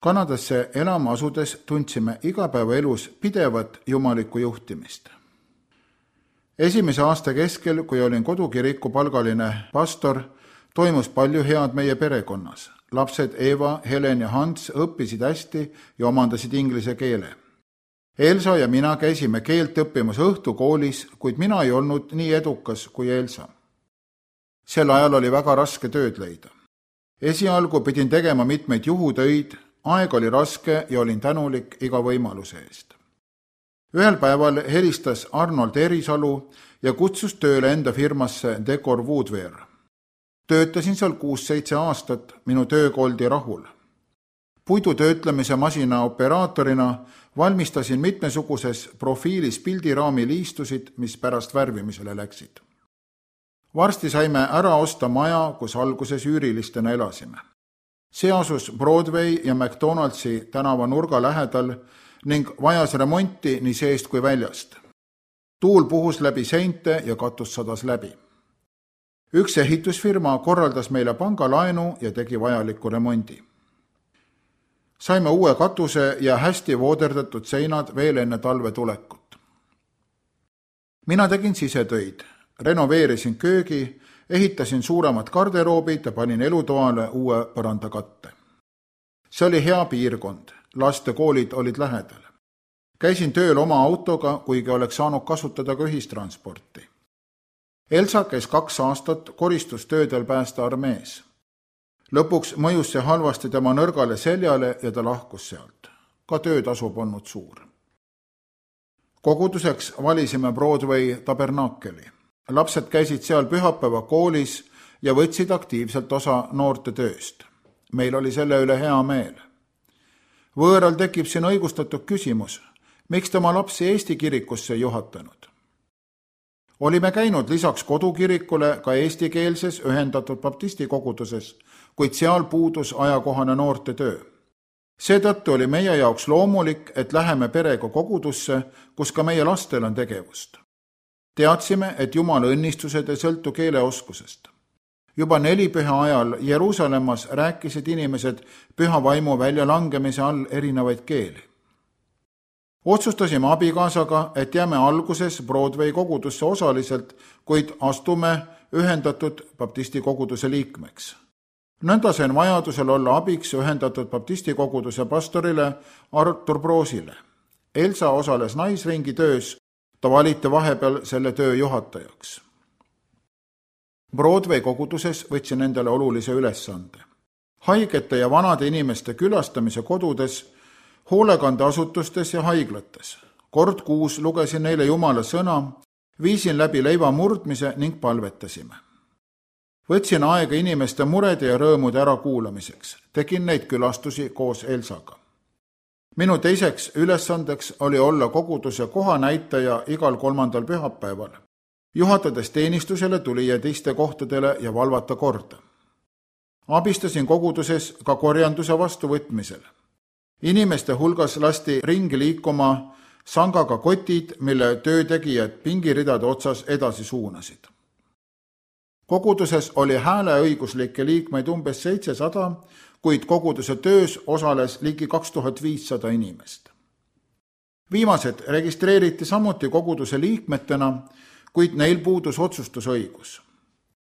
Kanadasse elama asudes tundsime igapäevaelus pidevat jumalikku juhtimist. Esimese aasta keskel, kui olin kodukiriku palgaline pastor, toimus palju head meie perekonnas. Lapsed Eva, Helen ja Hans õppisid hästi ja omandasid inglise keele. Elsa ja mina käisime keelt õppimas õhtukoolis, kuid mina ei olnud nii edukas kui Elsa. Sel ajal oli väga raske tööd leida. Esialgu pidin tegema mitmeid juhutöid, aeg oli raske ja olin tänulik iga võimaluse eest. Ühel päeval helistas Arnold Erisalu ja kutsus tööle enda firmasse Decor Woodwear. Töötasin seal 6-7 aastat, minu tööga oldi rahul. Puidu töötlemise masina operaatorina valmistasin mitmesuguses profiilis pildiraami liistusid, mis pärast värvimisele läksid. Varsti saime ära osta maja, kus alguses üürilistena elasime. See asus Broadway ja McDonaldsi tänava nurga lähedal ning vajas remonti nii seest kui väljast. Tuul puhus läbi seinte ja katus sadas läbi. Üks ehitusfirma korraldas meile pangalaenu ja tegi vajaliku remondi. Saime uue katuse ja hästi vooderdatud seinad veel enne talve tulekut. Mina tegin sisetöid, renoveerisin köögi, ehitasin suuremad garderoobid ja panin elutoale uue põrandakatte. See oli hea piirkond, lastekoolid olid lähedal. Käisin tööl oma autoga, kuigi oleks saanud kasutada ka ühistransporti. Elsa käis 2 aastat koristustöödel päästearmees. Lõpuks mõjus see halvasti tema nõrgale seljale ja ta lahkus sealt. Ka töötasu polnud suur. Koguduseks valisime Broadway tabernakeli. Lapsed käisid seal pühapäeva koolis ja võtsid aktiivselt osa noorte tööst. Meil oli selle üle hea meel. Võõral tekib siin õigustatud küsimus, miks tema lapsi Eesti kirikusse juhatanud. Olime käinud lisaks kodukirikule ka eestikeelses ühendatud baptisti koguduses, kuid seal puudus ajakohane noorte töö. Seetõttu oli meie jaoks loomulik, et läheme perega kogudusse, kus ka meie lastel on tegevust. Teadsime, et Jumala õnnistused ei sõltu keeleoskusest. Juba 4 püha ajal Jeruusalemmas rääkisid inimesed püha vaimu väljalangemise all erinevaid keeli. Otsustasime abikaasaga, et jääme alguses Broadway kogudusse osaliselt, kuid astume ühendatud baptisti koguduse liikmeks. Nõnda sain vajadusel olla abiks ühendatud baptisti koguduse pastorile Artur Broosile. Elsa osales naisringi töös, ta valiti vahepeal selle töö juhatajaks. Broadway koguduses võtsin endale olulise ülesande. Haigete ja vanade inimeste külastamise kodudes, hoolekandeasutustes ja haiglates. Kord kuus lugesin neile Jumala sõna, viisin läbi leiva murdmise ning palvetasime. Võtsin aega inimeste murede ja rõõmude ärakuulamiseks. Tegin neid külastusi koos Elsaga. Minu teiseks ülesandeks oli olla koguduse kohanäitaja igal 3. pühapäeval. Juhatades teenistusele tuli ja teiste kohtadele ja valvata korda. Abistasin koguduses ka korjanduse vastuvõtmisel. Inimeste hulgas lasti ringi liikuma sangaga kotid, mille töötegijad pingiridade otsas edasi suunasid. Koguduses oli hääleõiguslikke liikmeid umbes 700, kuid koguduse töös osales ligi 2500 inimest. Viimased registreeriti samuti koguduse liikmetena, kuid neil puudus otsustusõigus.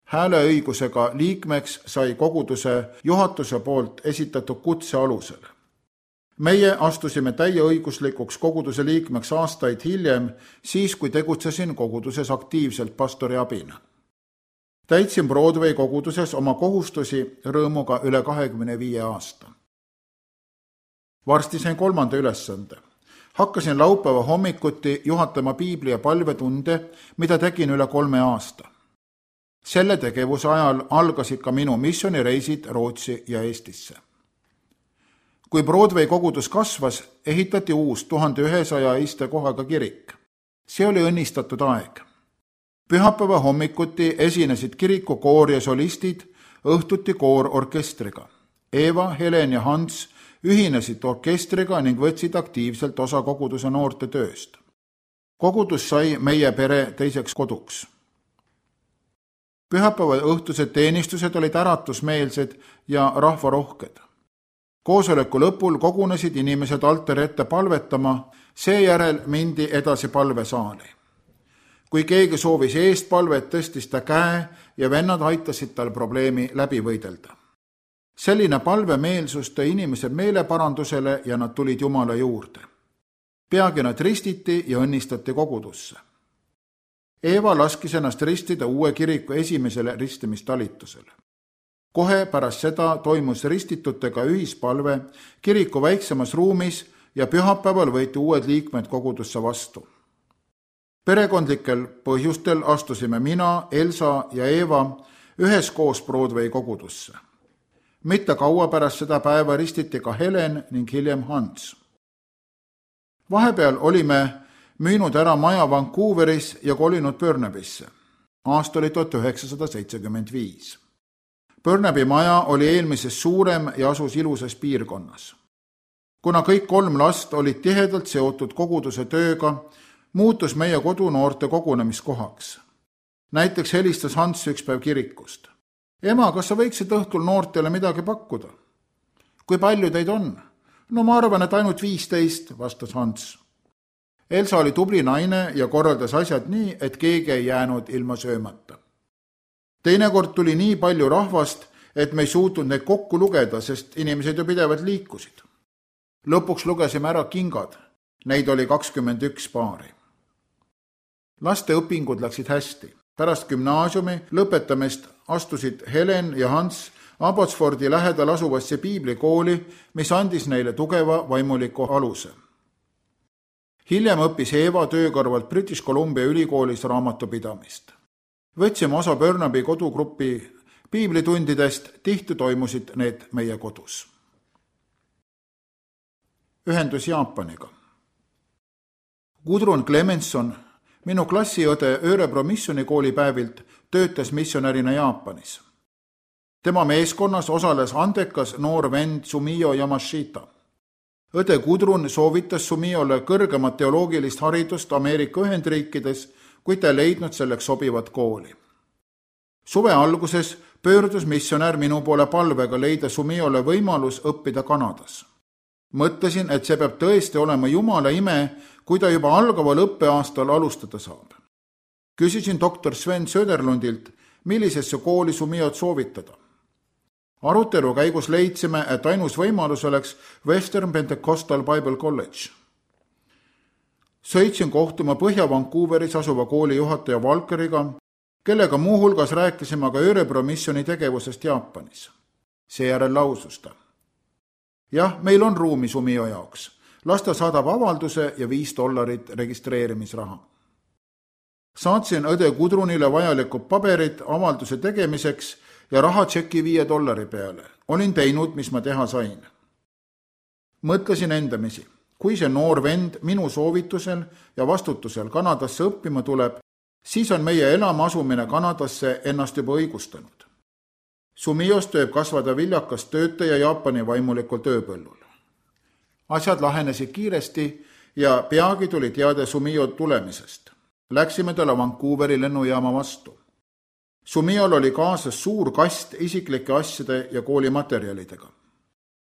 Hääleõigusega liikmeks sai koguduse juhatuse poolt esitatud kutse alusel. Meie astusime täieõiguslikuks koguduse liikmeks aastaid hiljem, siis kui tegutsesin koguduses aktiivselt pastori abina. Täitsin Broadway koguduses oma kohustusi rõõmuga üle 25 aasta. Varsti sain 3. ülesande. Hakkasin laupäeva hommikuti juhatama piibli ja palvetunde, mida tegin üle 3 aasta. Selle tegevuse ajal algasid ka minu missioonireisid Rootsi ja Eestisse. Kui Broadway kogudus kasvas, ehitati uus 1100 istekohaga kirik. See oli õnnistatud aeg. Pühapäeva hommikuti esinesid kiriku koor ja solistid, õhtuti koor orkestriga. Eva, Helen ja Hans ühinesid orkestriga ning võtsid aktiivselt osa koguduse noorte tööst. Kogudus sai meie pere teiseks koduks. Pühapäeva õhtused teenistused olid äratusmeelsed ja rahvarohked. Koosoleku lõpul kogunesid inimesed altari ette palvetama, seejärel mindi edasi palvesaali. Kui keegi soovis eest palvet, tõstis ta käe ja vennad aitasid tal probleemi läbi võidelda. Selline palvemeelsus tõi inimesed meeleparandusele ja nad tulid Jumala juurde. Peagi nad ristiti ja õnnistati kogudusse. Eeva laskis ennast ristida uue kiriku esimesele ristimistalitusele. Kohe pärast seda toimus ristitutega ühispalve kiriku väiksemas ruumis ja pühapäeval võeti uued liikmed kogudusse vastu. Perekondlikel põhjustel astusime mina, Elsa ja Eeva üheskoos Broadway kogudusse. Mitte kaua pärast seda päeva ristiti ka Helen ning hiljem Hans. Vahepeal olime müünud ära maja Vancouveris ja kolinud Burnabysse. Aasta oli 1975. Burnaby maja oli eelmisest suurem ja asus ilusas piirkonnas. Kuna kõik 3 last olid tihedalt seotud koguduse tööga, muutus meie kodunoorte kogunemiskohaks. Näiteks helistas Hans üks päev kirikust. Ema, kas sa võiksid õhtul noortele midagi pakkuda? Kui palju teid on? No ma arvan, et ainult 15, vastas Hans. Elsa oli tubli naine ja korraldas asjad nii, et keegi ei jäänud ilma söömata. Teinekord tuli nii palju rahvast, et me ei suutnud neid kokku lugeda, sest inimesed ju pidevalt liikusid. Lõpuks lugesime ära kingad. Neid oli 21 paari. Laste õpingud läksid hästi. Pärast gümnaasiumi lõpetamist astusid Helen ja Hans Abbotsfordi lähedal asuvasse piiblikooli, mis andis neile tugeva vaimuliku aluse. Hiljem õppis Eeva töö kõrvalt British Columbia ülikoolis raamatupidamist. Võtsime osa Burnaby kodugrupi piiblitundidest, tihti toimusid need meie kodus. Ühendus Jaapaniga. Gudrun Clemenson, minu klassiõde Örebro missionikooli päevilt, töötas missionärina Jaapanis. Tema meeskonnas osales andekas noor vend Sumio Yamashita. Õde Gudrun soovitas Sumiole kõrgemat teoloogilist haridust Ameerika Ühendriikides, kuid ta ei leidnud selleks sobivat kooli. Suve alguses pöördus missionär minu poole palvega leida Sumiole võimalus õppida Kanadas. Mõtlesin, et see peab tõesti olema Jumala ime, kui ta juba algaval õppeaastal alustada saab. Küsisin doktor Sven Söderlundilt, millisesse kooli Sumiot soovitada. Arutelu käigus leidsime, et ainus võimalus oleks Western Pentecostal Bible College. Sõitsin kohtuma Põhja-Vancouveris asuva kooli juhataja Valkeriga, kellega muuhulgas rääkisime ka Örebro missioni tegevusest Jaapanis. Seejärel lausus ta. Jah, meil on ruumi Sumio jaoks. Las ta saadab avalduse ja $5 registreerimisraha. Saatsin õde Gudrunile vajalikud paberid avalduse tegemiseks ja raha tšeki $5 peale. Olin teinud, mis ma teha sain. Mõtlesin endamisi, kui see noor vend minu soovitusel ja vastutusel Kanadasse õppima tuleb, siis on meie elama asumine Kanadasse ennast juba õigustanud. Sumios tööb kasvada viljakas töötaja Jaapani vaimulikul tööpõllul. Asjad lahenesid kiiresti ja peagi tuli teade Sumio tulemisest. Läksime talle Vancouveri lennujaama vastu. Sumiol oli kaasas suur kast isiklike asjade ja koolimaterjalidega.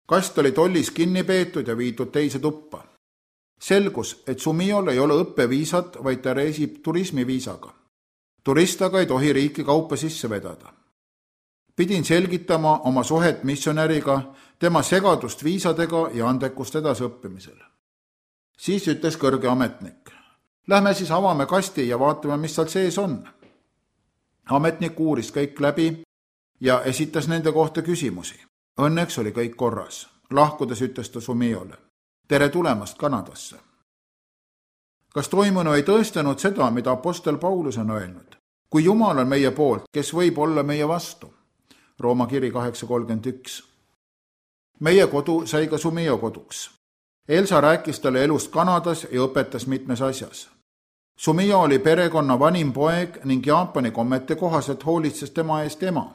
Kast oli tollis kinni peetud ja viidud teise tuppa. Selgus, et Sumiol ei ole õppeviisat, vaid ta reisib turismiviisaga. Turistaga ei tohi riiki kaupa sisse vedada. Pidin selgitama oma suhet missionäriga, tema segadust viisadega ja andekust edasõppimisel. Siis ütles kõrge ametnik. Lähme siis avame kasti ja vaatame, mis seal sees on. Ametnik uuris kõik läbi ja esitas nende kohta küsimusi. Õnneks oli kõik korras. Lahkudes ütles ta Sumiole. Tere tulemast Kanadasse. Kas toimunu ei tõestanud seda, mida apostel Paulus on öelnud? Kui Jumal on meie poolt, kes võib olla meie vastu? Rooma kiri 8.31. Meie kodu sai ka Sumio koduks. Elsa rääkis talle elust Kanadas ja õpetas mitmes asjas. Sumio oli perekonna vanim poeg ning Jaapani kommete kohaselt hoolitses tema eest ema.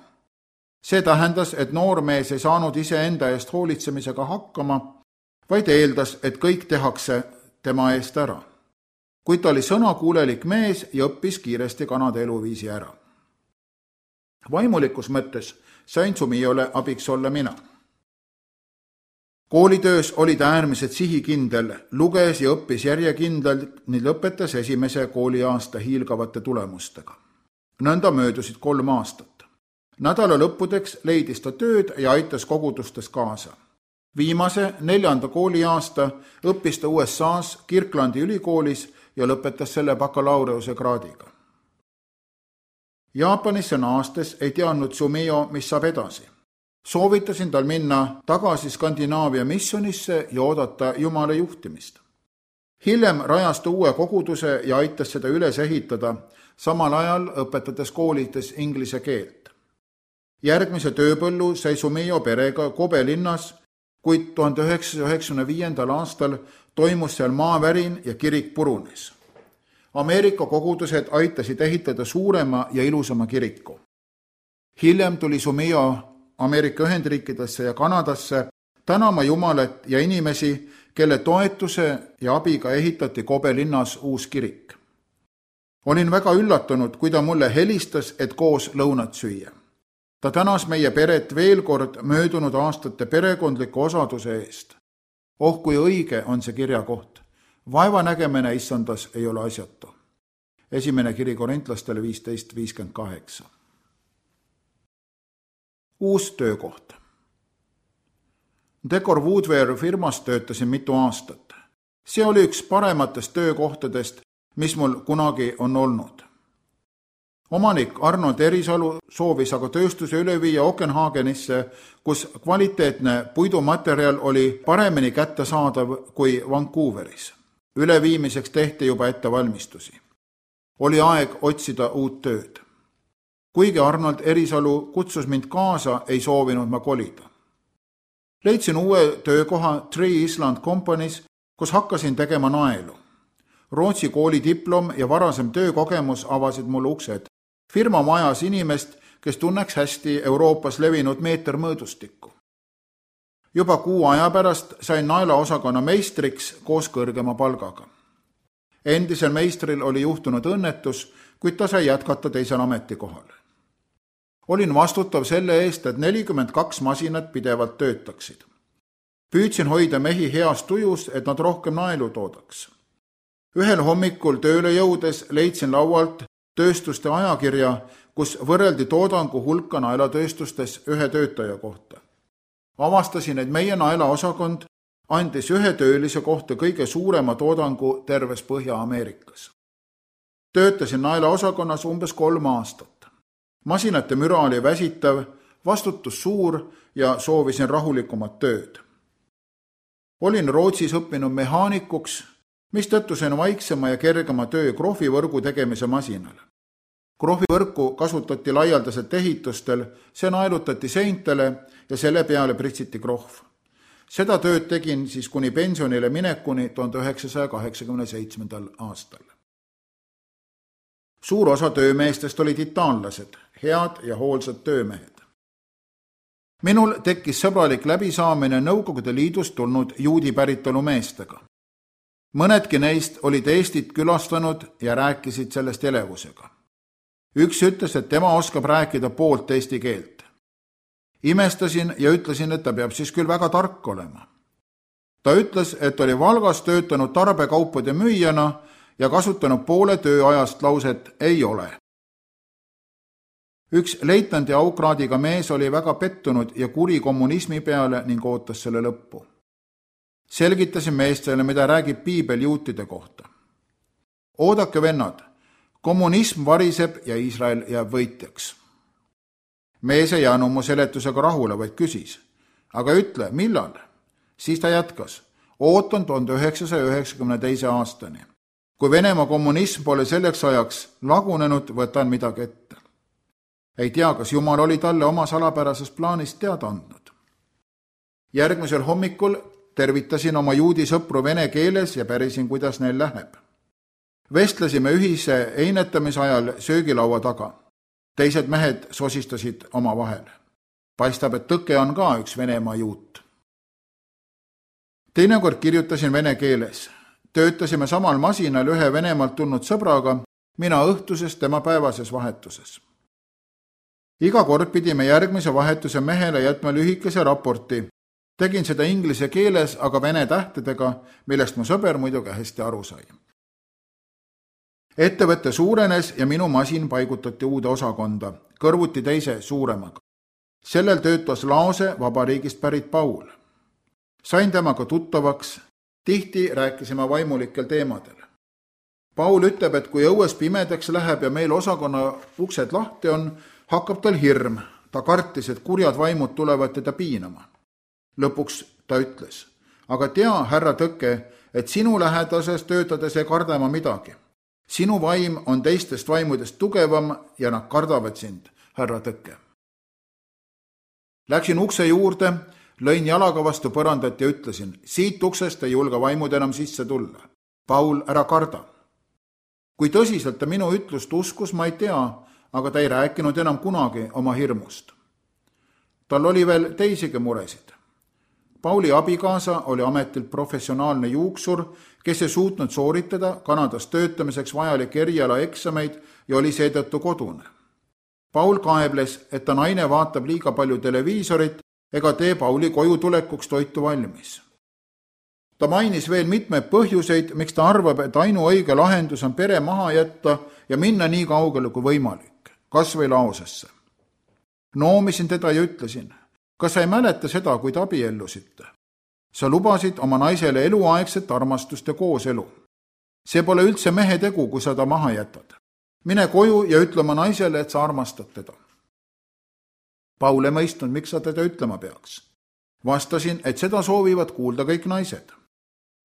See tähendas, et noormees ei saanud iseenda eest hoolitsemisega hakkama, vaid eeldas, et kõik tehakse tema eest ära. Kuid ta oli sõnakuulelik mees ja õppis kiiresti Kanada eluviisi ära. Vaimulikus mõttes sain Sumiole abiks olla mina. Koolitöös oli ta äärmiselt sihikindel, luges ja õppis järjekindlalt ning lõpetas esimese kooliaasta hiilgavate tulemustega. Nõnda möödusid 3 aastat. Nädala lõppudeks leidis ta tööd ja aitas kogudustes kaasa. Viimase 4. kooliaasta õppis ta USA-s Kirklandi ülikoolis ja lõpetas selle bakalaureuse kraadiga. Jaapanisse naastes ei teadnud Sumio, mis saab edasi. Soovitasin tal minna tagasi Skandinaavia missionisse ja oodata Jumala juhtimist. Hiljem rajas ta uue koguduse ja aitas seda üles ehitada, samal ajal õpetades koolides inglise keelt. Järgmise tööpõllu sai Sumio perega Kobe linnas, kuid 1995. aastal toimus seal maavärin ja kirik purunes. Ameerika kogudused aitasid ehitada suurema ja ilusama kiriku. Hiljem tuli Sumio Ameerika Ühendriikidesse ja Kanadasse tänama Jumalat ja inimesi, kelle toetuse ja abiga ehitati Kobe linnas uus kirik. Olin väga üllatunud, kui ta mulle helistas, et koos lõunat süüa. Ta tänas meie peret veel kord möödunud aastate perekondliku osaduse eest. Oh, kui õige on see kirjakoht. Vaevanägemine issandas ei ole asjatu. Esimene kiri Korintlastele 15:58. Uus töökoht. Decor Woodware firmas töötasin mitu aastat. See oli üks parematest töökohtadest, mis mul kunagi on olnud. Omanik Arnold Erisalu soovis aga tööstuse üle viia Okenhagenisse, kus kvaliteetne puidumaterjal oli paremini kättesaadav kui Vancouveris. Üleviimiseks tehti juba ettevalmistusi. Oli aeg otsida uut tööd. Kuigi Arnold Erisalu kutsus mind kaasa, ei soovinud ma kolida. Leidsin uue töökoha Tree Island Company's, kus hakkasin tegema naelu. Rootsi kooli diplom ja varasem töökogemus avasid mulle uksed. Firma vajas inimest, kes tunneks hästi Euroopas levinud meetermõõdustikku. Juba 6 aja pärast sain naelaosakonna meistriks koos kõrgema palgaga. Endisel meistril oli juhtunud õnnetus, kuid ta sai jätkata teisel ametikohal. Olin vastutav selle eest, et 42 masinat pidevalt töötaksid. Püüdsin hoida mehi heas tujus, et nad rohkem naelu toodaks. Ühel hommikul tööle jõudes leidsin laualt tööstuste ajakirja, kus võrreldi toodangu hulka naelatööstustes ühe töötaja kohta. Avastasin, et meie naelaosakond andis ühe töölise kohta kõige suurema toodangu terves Põhja-Ameerikas. Töötasin naelaosakonnas umbes 3 aastat. Masinate müra oli väsitav, vastutus suur ja soovisin rahulikumat tööd. Olin Rootsis õppinud mehaanikuks, mistõttu sain vaiksema ja kergema töö krohvivõrgu tegemise masinal. Krohvivõrku kasutati laialdaselt ehitustel, see naelutati seintele ja selle peale pritsiti krohv. Seda tööd tegin siis kuni pensionile minekuni 1987. aastal. Suur osa töömeestest olid itaanlased, head ja hoolsad töömehed. Minul tekkis sõbralik läbisaamine Nõukogude Liidust tulnud juudi päritolu meestega. Mõnedki neist olid Eestit külastanud ja rääkisid sellest elevusega. Üks ütles, et tema oskab rääkida poolt eesti keelt. Imestasin ja ütlesin, et ta peab siis küll väga tark olema. Ta ütles, et oli Valgas töötanud tarbekaupade müüjana ja kasutanud poole tööajast lauset ei ole. Üks leitnandi aukraadiga mees oli väga pettunud ja kuri kommunismi peale ning ootas selle lõppu. Selgitasin meestele, mida räägib piibel juutide kohta. Oodake, vennad, kommunism variseb ja Iisrael jääb võitjaks. Mees ei jäänud mu seletusega rahule, vaid küsis, aga ütle, millal? Siis ta jätkas, ootan 1992. aastani. Kui Venemaa kommunism pole selleks ajaks lagunenud, võtan midagi ette. Ei tea, kas Jumal oli talle oma salapärasest plaanist teada andnud. Järgmisel hommikul tervitasin oma juudi sõpru vene keeles ja pärisin, kuidas neil läheb. Vestlesime ühise einetamise ajal söögilaua taga. Teised mehed sosistasid oma vahel. Paistab, et tõke on ka üks Venemaa juut. Teinekord kirjutasin vene keeles. Töötasime samal masinal ühe Venemaalt tulnud sõbraga, mina õhtuses, tema päevases vahetuses. Iga kord pidime järgmise vahetuse mehele jätma lühikese raporti. Tegin seda inglise keeles, aga vene tähtedega, millest mu sõber muidugi hästi aru sai. Ettevõte suurenes ja minu masin paigutati uude osakonda, kõrvuti teise suuremaga. Sellel töötas Laose Vabariigist pärit Paul. Sain temaga tuttavaks, tihti rääkisime vaimulikel teemadel. Paul ütleb, et kui õues pimedaks läheb ja meil osakonna uksed lahti on, hakkab tal hirm. Ta kartis, et kurjad vaimud tulevad teda piinama. Lõpuks ta ütles, aga tea, härra Tõkke, et sinu lähedases töötades ei karda ma midagi. Sinu vaim on teistest vaimudest tugevam ja nad kardavad sind, härra Tõkke. Läksin ukse juurde, lõin jalaga vastu põrandat ja ütlesin, siit uksest ei julge vaimud enam sisse tulla. Paul, ära karda. Kui tõsiselt ta minu ütlust uskus, ma ei tea, aga ta ei rääkinud enam kunagi oma hirmust. Tal oli veel teisigi muresid. Pauli abikaasa oli ametilt professionaalne juuksur, kes ei suutnud sooritada Kanadas töötamiseks vajalik eriala eksameid ja oli seetõttu kodune. Paul kaebles, et ta naine vaatab liiga palju televiisorit ega tee Pauli koju tulekuks toitu valmis. Ta mainis veel mitmeid põhjuseid, miks ta arvab, et ainuõige lahendus on pere maha jätta ja minna nii kaugele kui võimalik, kas või Laosesse. Noomisin teda ja ütlesin, kas sa ei mäleta seda, kui te abiellusite? Sa lubasid oma naisele eluaegset armastust ja kooselu. See pole üldse mehe tegu, kui sa ta maha jätad. Mine koju ja ütle oma naisele, et sa armastad teda. Paul ei mõistnud, miks sa teda ütlema peaks. Vastasin, et seda soovivad kuulda kõik naised.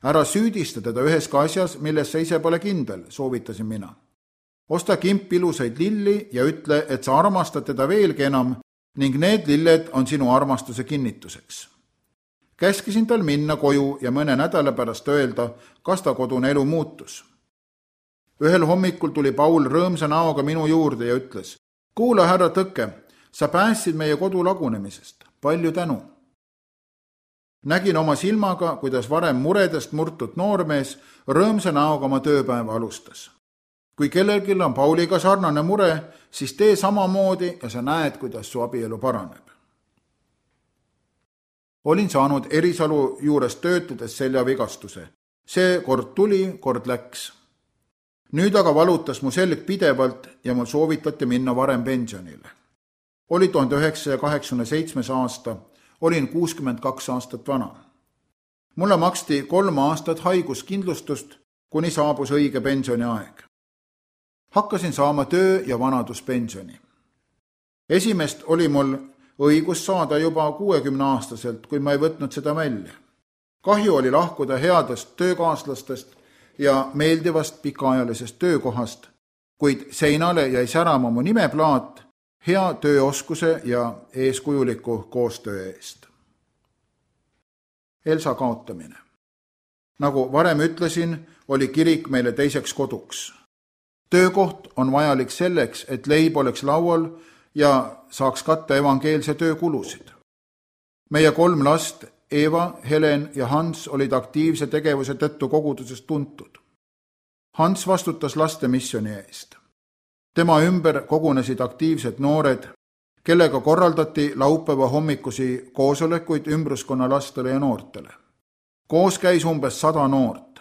Ära süüdista teda üheski asjas, milles sa ise pole kindel, soovitasin mina. Osta kimp ilusaid lilli ja ütle, et sa armastad teda veelgi enam ning need lilled on sinu armastuse kinnituseks. Käskisin tal minna koju ja mõne nädala pärast öelda, kas ta kodune elu muutus. Ühel hommikul tuli Paul rõõmsa näoga minu juurde ja ütles, kuula, härra Tõkke, sa päästsid meie kodu lagunemisest. Palju tänu. Nägin oma silmaga, kuidas varem muredest murtud noormees rõõmsa näoga oma tööpäeva alustas. Kui kellelgi on Pauliga sarnane mure, siis tee samamoodi ja sa näed, kuidas su abielu paraneb. Olin saanud Erisalu juures töötades seljavigastuse. See kord tuli, kord läks. Nüüd aga valutas mu selg pidevalt ja mul soovitati minna varem pensionile. Oli 1987 aasta, olin 62 aastat vana. Mulle maksti 3 aastat haiguskindlustust, kuni saabus õige pensioniaeg. Hakkasin saama töö- ja vanaduspensioni. Esimest oli mul õigus saada juba 60-aastaselt, kui ma ei võtnud seda välja. Kahju oli lahkuda headest töökaaslastest ja meeldivast pikaajalisest töökohast, kuid seinale jäi särama mu nimeplaat hea tööoskuse ja eeskujuliku koostöö eest. Elsa kaotamine. Nagu varem ütlesin, oli kirik meile teiseks koduks. Töökoht on vajalik selleks, et leib oleks laual ja saaks katta evangeelse töö kulusid. Meie 3 last, Eva, Helen ja Hans, olid aktiivse tegevuse tõttu kogudusest tuntud. Hans vastutas laste missiooni eest. Tema ümber kogunesid aktiivsed noored, kellega korraldati laupäeva hommikusi koosolekuid ümbruskonna lastele ja noortele. Koos käis umbes 100 noort.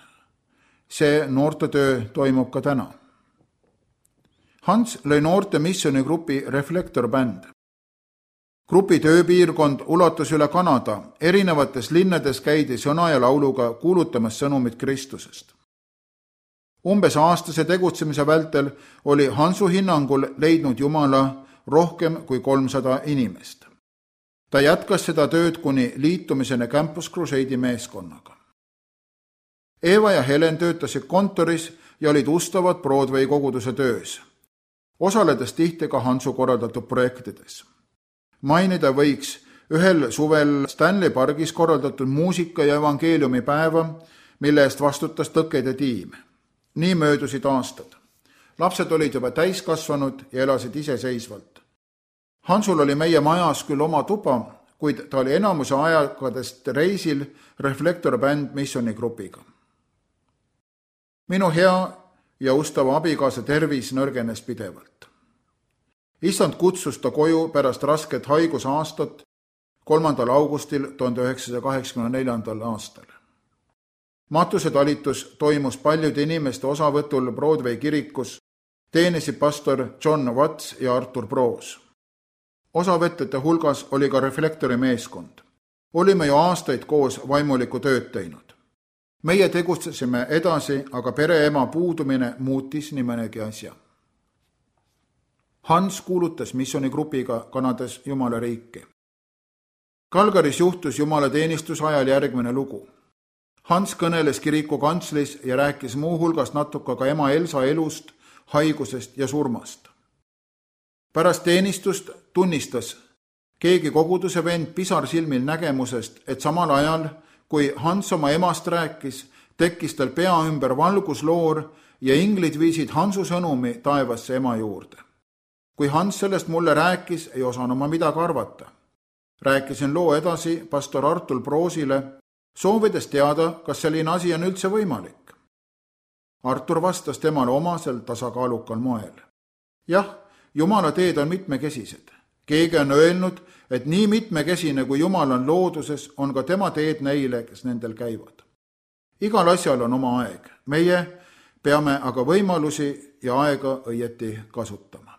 See noortetöö toimub ka täna. Hans lõi noorte missioonigrupi Reflektor Band. Grupi tööpiirkond ulatus üle Kanada, erinevates linnades käidi sõna ja lauluga kuulutamas sõnumit Kristusest. Umbes aastase tegutsemise vältel oli Hansu hinnangul leidnud Jumala rohkem kui 300 inimest. Ta jätkas seda tööd kuni liitumiseni Campus Crusade'i meeskonnaga. Eva ja Helen töötasid kontoris ja olid ustavad Broadway koguduse töös, osaledes tihti ka Hansu korraldatud projektides. Mainida võiks ühel suvel Stanley pargis korraldatud muusika- ja evangeeliumi päeva, mille eest vastutas Tõkede tiim. Nii möödusid aastad. Lapsed olid juba täiskasvanud ja elasid iseseisvalt. Hansul oli meie majas küll oma tuba, kuid ta oli enamuse ajakadest reisil Reflektor Band missioonigrupiga. Minu hea ja ustava abikaasa tervis nõrgenes pidevalt. Issand kutsus ta koju pärast rasket haigusaastat, 3. augustil 1984. aastal. Matuse talitus toimus paljude inimeste osavõtul Broadway kirikus, teenisid pastor John Watts ja Artur Broos. Osavõtjate hulgas oli ka Reflektori meeskond. Olime ju aastaid koos vaimulikku tööd teinud. Meie tegutsesime edasi, aga pereema puudumine muutis nii mõnegi asja. Hans kuulutas missioonigrupiga Kanadas Jumala riiki. Calgarys juhtus jumalateenistuse ajal järgmine lugu. Hans kõneles kiriku kantslis ja rääkis muu hulgas natuke ka ema Elsa elust, haigusest ja surmast. Pärast teenistust tunnistas keegi koguduse vend pisarsilmil nägemusest, et samal ajal, kui Hans oma emast rääkis, tekkis tal pea ümber valgusloor ja inglid viisid Hansu sõnumi taevasse ema juurde. Kui Hans sellest mulle rääkis, ei osanud ma midagi arvata. Rääkisin loo edasi pastor Artur Broosile, soovides teada, kas selline asi on üldse võimalik. Artur vastas temale omasel tasakaalukal moel. Jah, Jumala teed on mitmekesised. Keegi on öelnud, et nii mitmekesine kui Jumal on looduses, on ka tema teed neile, kes nendel käivad. Igal asjal on oma aeg. Meie peame aga võimalusi ja aega õieti kasutama.